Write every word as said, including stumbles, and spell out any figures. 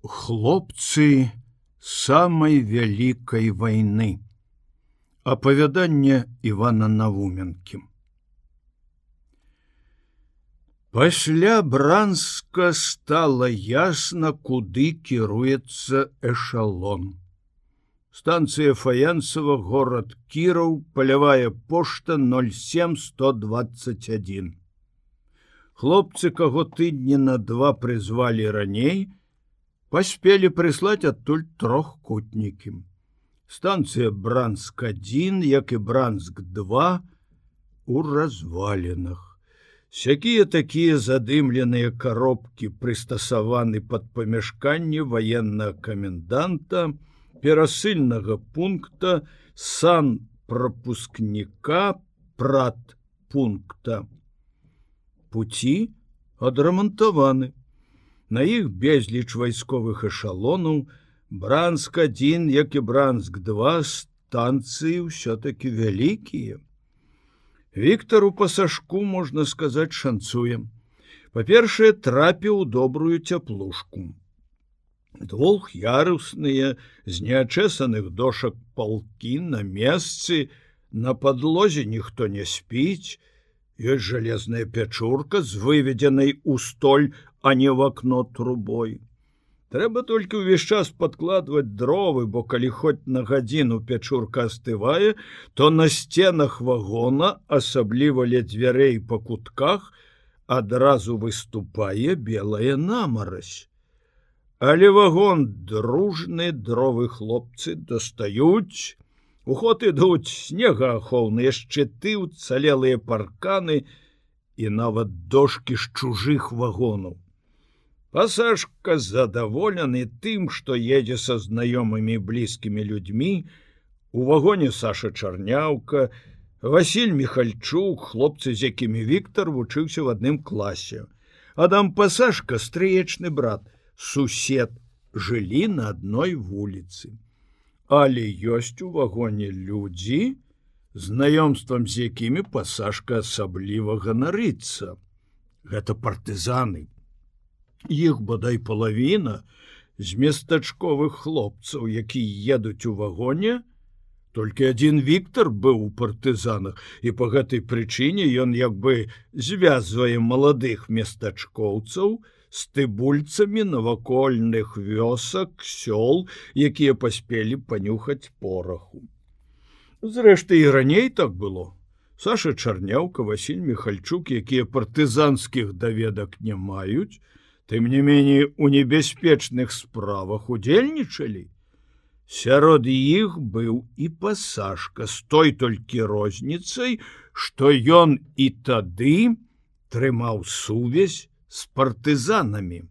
Хлопцы самай вялікай вайны. Апавяданне Івана Навуменкі. Пасля Бранска стала ясна, куды кіруецца эшалон. Станцыя Фаянцева, горад Кіраў, палявая пошта ноль сем сто двадцать один. Хлопцы, каго тыдні на два прызвалі раней, паспелі прыслаць адтуль трохкутнікі. Станцыя Бранск один, як і Бранск два, у развалінах. Сякія такія задымленыя коробкі прыстасаваны пад памяшканне ваеннага каменданта, перасыльнага пункта, санпрапускніка, пратпункта. Пуці адрамантаваны. На іх безліч вайсковых эшалонаў. Бранск один, як і Бранск два, станцыі ўсё-таки вялікія. Віктару Пасашку, можна сказаць, шанцуе. Па-першае, трапіў у добрую цяплушку. Двух'ярусныя, з неачэсаных дошак палкі на месцы, на падлозе ніхто не спіць. Ёсць жалезная пячурка з выведзенай у столь, а не в акно трубой. Трэба толькі ўвесь час падкладваць дровы, бо калі хоць на гадзіну пячурка астывае, то на сценах вагона, асабліва ля дзвярэй па кутках, адразу выступае белая намарась. Але вагон дружны, дровы хлопцы дастаюць. У ход ідуць снегаахоўныя шчыты, уцалелыя парканы і нават дошкі з чужых вагонаў. Пасашка задаволены тым, што едзе са знаёмымі блізкімі людзьмі. У вагоне Саша Чарняўка, Васіль Михальчук, хлопцы, з якімі Віктар вучыўся в адным класе. Адам Пасашка, стрыечны брат, сусед, жылі на адной вуліцы. Але ёсць у вагоне людзі, знаёмствам з якімі Пасашка асабліва ганарыцца. Гэта партызаны. Іх бадай палавіна з местачковых хлопцаў, якія едуць у вагоне. Толькі адзін Віктар быў у партызанах, і па гэтай прычыне ён як бы звязвае маладых местачкоўцаў з тыбульцамі навакольных вёсак, сёл, якія паспелі панюхаць пораху. Зрэшты, і раней так было. Саша Чарняўка, Васіль Михальчук, якія партызанскіх даведак не маюць, тым не меней у небяспечных справах удзельнічалі. Сярод іх быў і Пасашка, з той толькі розніцай, што ён і тады трымаў сувязь з партызанамі.